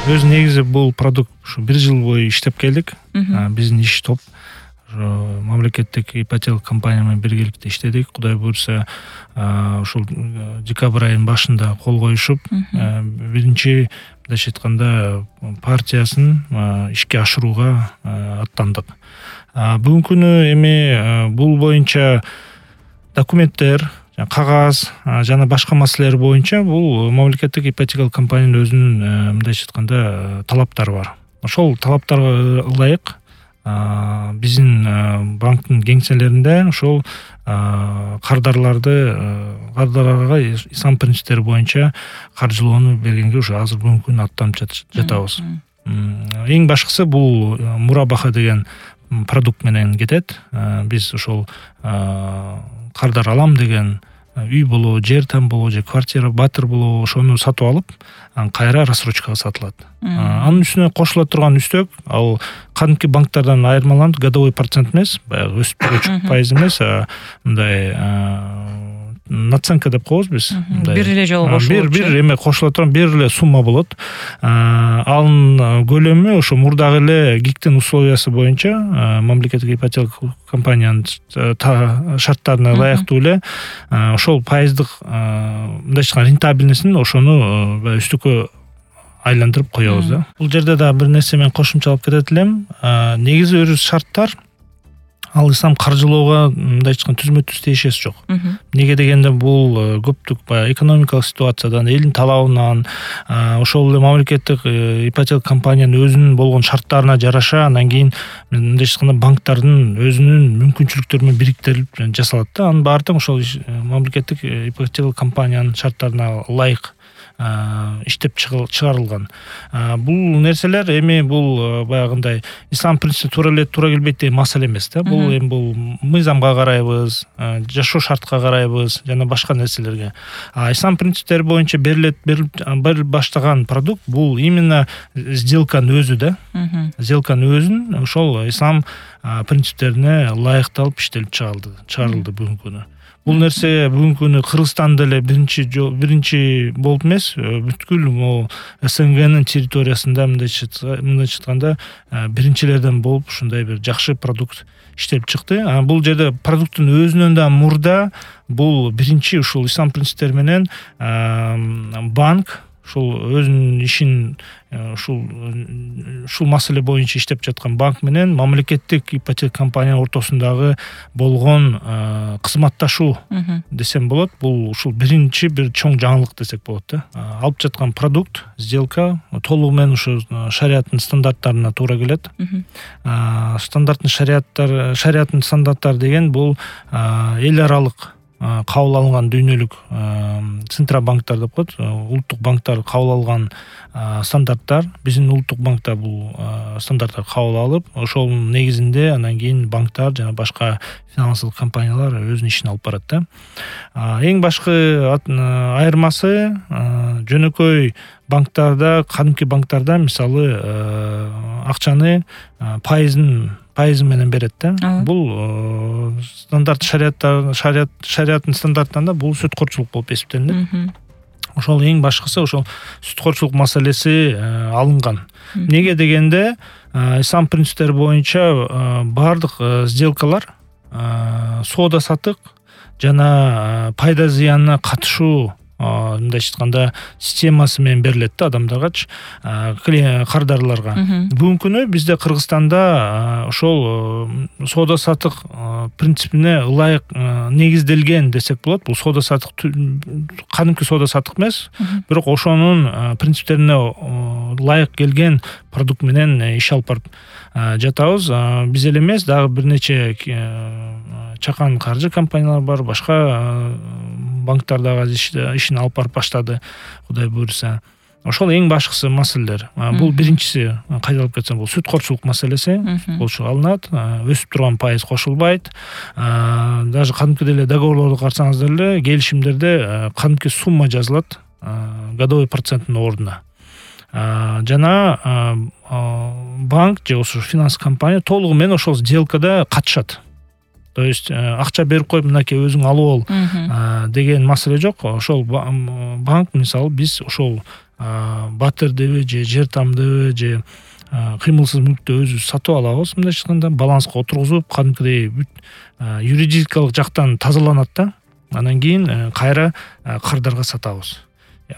Өз негизи бул продукт ушу 1 жыл бою иштеп келдик. Биздин иш топ мамлекеттик ипотека компания менен биргеликте иштедик. Кудай буйрса, ушул декабрь айынын башында кол коюшуп, биринчи мындайча айтканда партиясын ишке ашырууга аттандык. Бүгүнкү күнү эми бул боюнча документтер, кагаз жана башка маселелер боюнча бул мамлекеттик ипотекалык компаниянын өзүнүн мындайча айтканда талаптары бар. Ошол талаптарга ылайык биздин банктын кеңселеринде ошол кардарларга ислам принциптери боюнча каржылоону бергенге уже азыр бүгүнкү күнү аттанып жатабыз. Эң башкысы бул мурабаха деген продукт менен кетет. Биз ошол кардар алам деген үй болобу, жер там болобу, же квартира, батыр болобу, ошону сатып алып, кайра рассрочкага сатылат. Анын үстүнө кошула турган үстөк, ал кадимки банктардан айырмаланып, годовой процент эмес, баягы өсүп тургучу пайыз эмес, мындай наценка деп коебуз биз. Бир эле жолу кошулат. Бир эме кошула турган бир эле сумма болот. Анын көлөмү ошо мурдагы эле ГИКтин условиясы боюнча мамлекеттик ипотека компаниянын шарттарына ылайыктуу эле ошол пайыздык мындайча айтканда рентабельностун ошону үстүккө айландырып коебуз да. Бул жерде да бир нерсе мен кошумчалап кетет элем. Негизи өрүс шарттар ал ислам каржылоого мындайча айтканда түзмө-түз тиешеси жок. Неге дегенде бул көптүк экономикалык ситуациядан, элдин талабынан, ошол эле мамлекеттик ипотека компаниянын өзүнүн болгон шарттарына жараша, анан кийин мындайча айтканда банктардын өзүнүн мүмкүнчүлүктөрү менен бириктирип жасалат да. Анын баары тең ошол мамлекеттик ипотека компаниянын шарттарына ылайык иштеп чыгарылган. Бул нерселер эми бул баягындай ислам принципи туура келбейт деген маселе эмес да. Бул эми бул мыйзамга карайбыз, жашоо шартка карайбыз жана башка нерселерге. Ислам принциптери боюнча берилип баштаган продукт бул именно сделканын өзү да. Сделканын өзүн ошол ислам принциптерине ылайыкталып иштелип чыгарылды бүгүнкү күнү. Бул нерсе бүгүнкү күнү Кыргызстанда эле биринчи болуп эмес, бүткүл могу СНГнын территориясында мындайча айтканда биринчилерден болуп ушундай бир жакшы продукт иштелип чыкты. Бул жерде продукттун өзүнөн да мурда бул биринчи ушул ислам принциптери менен банк ушул өзүнүн ишин ушул маселе боюнча иштеп жаткан банк менен мамлекеттик ипотека компания ортосундагы болгон кызматташуу десем болот. Бул ушул биринчи бир чоң жаңылык десек болот да. Алып жаткан продукт, сделка толугу менен ушу шариаттын стандарттарына туура келет. Шариаттын стандарттары деген бул эл аралык кабыл алынган дүйнөлүк центробанктар деп коет, улуттук банктар кабыл алган стандарттар. Биздин улуттук банкта бул стандарттар кабыл алып, ошол негизинде анан кийин банктар жана башка финансылык компаниялар өзүнүн ишин алып барат да. Эң башкы айырмасы жөнөкөй банктарда, кадимки банктарда мисалы акчаны пайызы менен берет да. Бул стандарт шариаттын стандарттарында бул сүткорчулук болуп эсептелинет. Ошол эң башкысы ошол сүткорчулук маселеси алынган. Неге дегенде ислам принциптери боюнча бардык сделкалар соода сатык жана пайда зыянына катышуу мындайча айтканда системасы менен берилет да адамдаргачы, кардарларга. Бүгүнкү күнү бизде Кыргызстанда ошол соода сатык принципине ылайык негизделген десек болот. Бул соода сатык кадимки соода сатык эмес, бирок ошонун принциптерине ылайык келген продукт менен иш алып барып жатабыз. Биз эле эмес, дагы бир нече чакан каржы компаниялар бар, башка банктар дагы ишин алып барып баштады, Кудай буйрса. Ошол эң башкысы маселелер. Бул биринчиси, кайталап кетсем, бул сүткорчулук маселеси. Болчу алынат, өсүп турган пайыз кошулбайт. Даже кадимкидей эле договорлорду карасаңыздар эле, келишимдерде кадимки сумма жазылат, годовой проценттин ордуна. Жана банк же ошо финанс компания толугу менен ошол сделкада катышат. То есть акча берип коюп мынакей өзүң алып ал деген маселе жок. Ошол банк мисалы биз ошол батырдыбы же жер тамдыбы же кыймылсыз мүлктү өзүбүз сатып алабыз. Мындайча айтканда баланска отургузуп, кадимкидей юридикалык жактан тазаланат да. Анан кийин кайра кардарга сатабыз.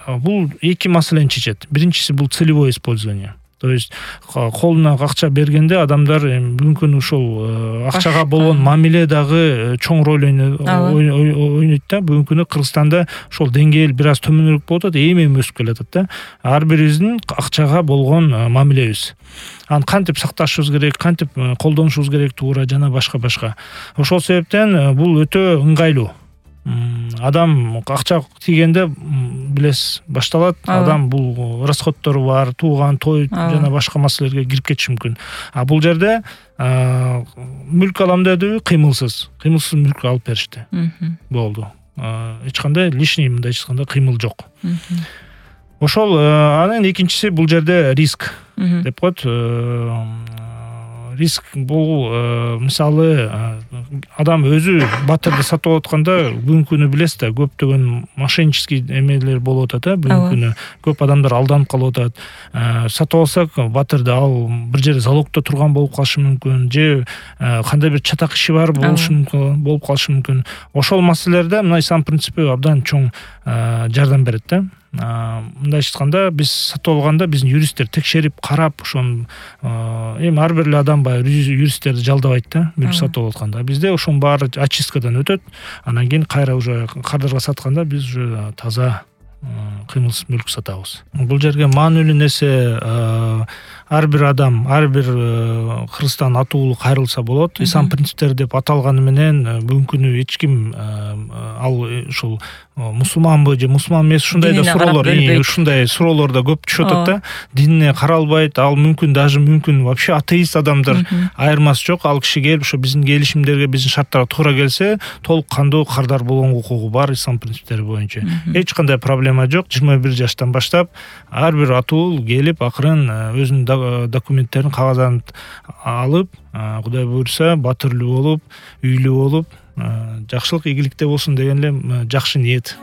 Бул эки маселени чечет. Биринчиси бул целевое использование. То есть колуна акча бергенде адамдар мүмкүн ушул акчага болгон мамиле дагы чоң роль ойнойт да. Бүгүнкү күнү Кыргызстанда ошол деңгээл бир аз төмөнүрөөк болуп атат, эми өсүп келатат да. Ар бирибиздин акчага болгон мамилебиз. Аны кантип сакташыбыз керек, кантип колдонушубуз керек туура жана башка. Ошол себептен бул өтө ыңгайлуу. Адам акча тийгенде билесиз башталат. Адам бул расходтору бар, тууган, той жана башка маселелерге кирип кетиши мүмкүн. Бул жерде мүлк алам дедиби, кыймылсыз мүлк алып беришти. Болду. Эч кандай лишний мындайча айтканда кыймыл жок. Ошол анан экинчиси бул жерде риск деп коет. Риск бул мисалы адам өзү батырды сатып алып атканда бүгүнкү күнү билесиз да, көптөгөн мошеннический эмелер болуп атат. Бүгүнкү күнү көп адамдар алданып калып атат. Сатып алсак батырды ал бир жерде залогдо турган болуп калышы мүмкүн, же кандай бир чатак иши бар болуп калышы мүмкүн. Ошол маселелерде мына ислам принципи абдан чоң жардам берет да. Мындайча айтканда биз сатып алганда биздин юристтер текшерип карап ошону эми ар бир эле адам баягы юристтерди жалдабайт да, мүлк сатып алып атканда. Бизде ошонун баары очисткадан өтөт. Анан кийин кайра уже кардарга сатканда биз уже таза кыймылсыз мүлк сатабыз. Бул жерге маанилүү нерсе ар бир адам, ар бир Кыргызстан атуулу кайрылса болот. Ислам принциптери деп аталганы менен бүгүнкү күнү эч ким ал ушул мусулманбы же мусулман эмес ушундай да суроолор да көп түшүп атат да. Динине каралбайт, ал мүмкүн вообще атеист адамдар айырмасы жок. Ал киши келип ошо биздин келишимдерге, биздин шарттарга туура келсе, толук кандуу кардар болгон укугу бар ислам принциптери боюнча. Эч кандай проблема жок. 21 жаштан баштап ар бир атуул келип акырын өзүнүн документтерин, кагаздарын алып, Кудай буйрса, батырлуу болуп, үйлүү болуп, жакшылык ийгиликте болсун деген эле жакшы ниет.